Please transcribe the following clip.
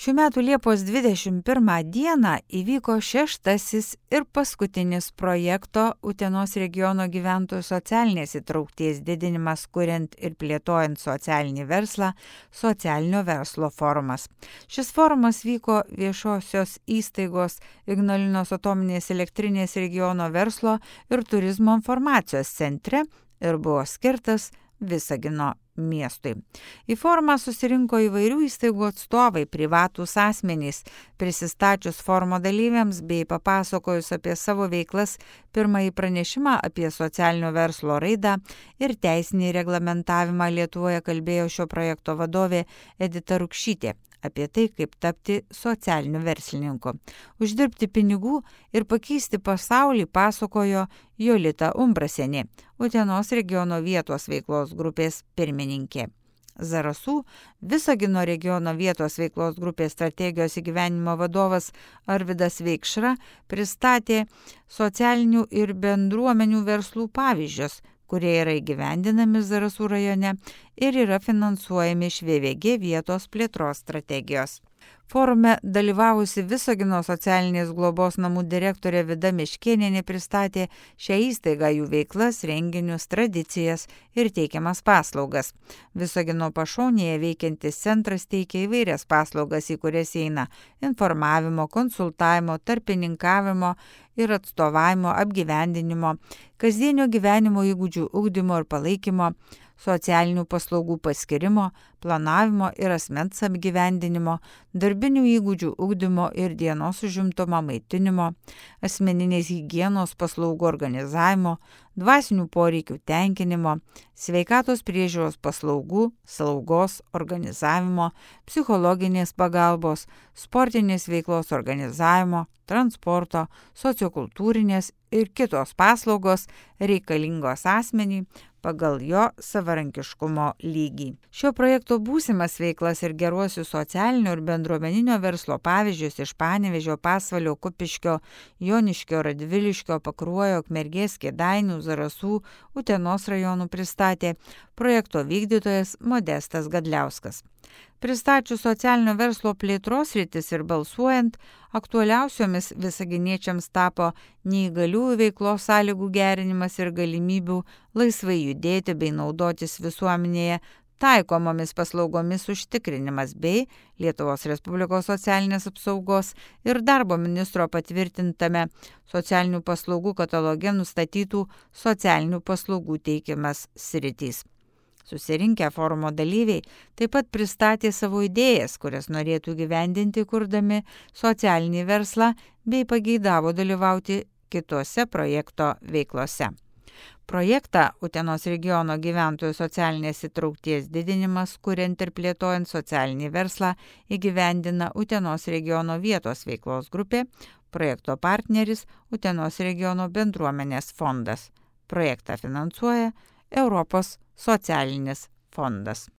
Šių metų Liepos 21 dieną įvyko 6. ir paskutinis projekto Utenos regiono gyventojų socialinės įtraukties didinimas kuriant ir plėtojant socialinį verslą socialinio verslo forumas. Šis forumas vyko viešosios įstaigos Ignalinos atominės elektrinės regiono verslo ir turizmo informacijos centre ir buvo skirtas Visagino miestui. Į forumą susirinko įvairių įstaigų atstovai, privatūs asmenys, prisistačius forumo dalyviams bei papasakojus apie savo veiklas, pirmąjį pranešimą apie socialinio verslo raidą ir teisinį reglamentavimą Lietuvoje kalbėjo šio projekto vadovė Edita Rukšytė. Apie tai, kaip tapti socialiniu verslininku. Uždirbti pinigų ir pakeisti pasaulį pasakojo Jolita Umbrasienė, Utenos regiono vietos veiklos grupės pirmininkė. Zarasų Visagino regiono vietos veiklos grupės strategijos įgyvenimo vadovas Arvydas Veikšra pristatė socialinių ir bendruomenių verslų pavyzdžius, kurie yra įgyvendinami Zarasų rajone ir yra finansuojami iš VVG vietos plėtros strategijos. Forume dalyvavusi Visagino socialinės globos namų direktorė Vida Miškėnienė pristatė šią įstaigą, jų veiklas, renginius, tradicijas ir teikiamas paslaugas. Visagino pašonėje veikiantis centras teikia įvairias paslaugas, į kurias įeina informavimo, konsultavimo, tarpininkavimo ir atstovavimo, apgyvendinimo, kasdienio gyvenimo įgūdžių ugdymo ir palaikymo, socialinių paslaugų paskirimo, planavimo ir asmens apgyvendinimo, darbinių įgūdžių ugdymo ir dienos užimtumo maitinimo, asmeninės higienos paslaugų organizavimo, dvasinių poreikių tenkinimo, sveikatos priežiūros paslaugų, slaugos organizavimo, psichologinės pagalbos, sportinės veiklos organizavimo, transporto, sociokultūrinės ir kitos paslaugos reikalingos asmeniui pagal jo savarankiškumo lygį. Šio projekto būsimas veiklas ir geruosius socialinio ir bendruomeninio verslo pavyzdžius iš Panevėžio, Pasvalio, Kupiškio, Joniškio, Radviliškio, Pakruojo, Ukmergės, Kėdainių, Zarasų, Utenos rajonų pristatė projekto vykdytojas Modestas Gadliauskas. Pristačius socialinio verslo plėtros sritis ir balsuojant, aktualiausiomis visaginiečiams tapo neįgaliųjų veiklos sąlygų gerinimas ir galimybių laisvai judėti bei naudotis visuomenėje taikomomis paslaugomis užtikrinimas bei Lietuvos Respublikos socialinės apsaugos ir darbo ministro patvirtintame socialinių paslaugų kataloge nustatytų socialinių paslaugų teikimas sritys. Susirinkę forumo dalyviai taip pat pristatė savo idėjas, kurias norėtų gyvendinti kurdami socialinį verslą bei pageidavo dalyvauti kitose projekto veiklose. Projektą Utenos regiono gyventojų socialinės įtraukties didinimas, kuriant ir plėtojant socialinį verslą, įgyvendina Utenos regiono vietos veiklos grupė, projekto partneris Utenos regiono bendruomenės fondas. Projektą finansuoja Europos socialinis fondas.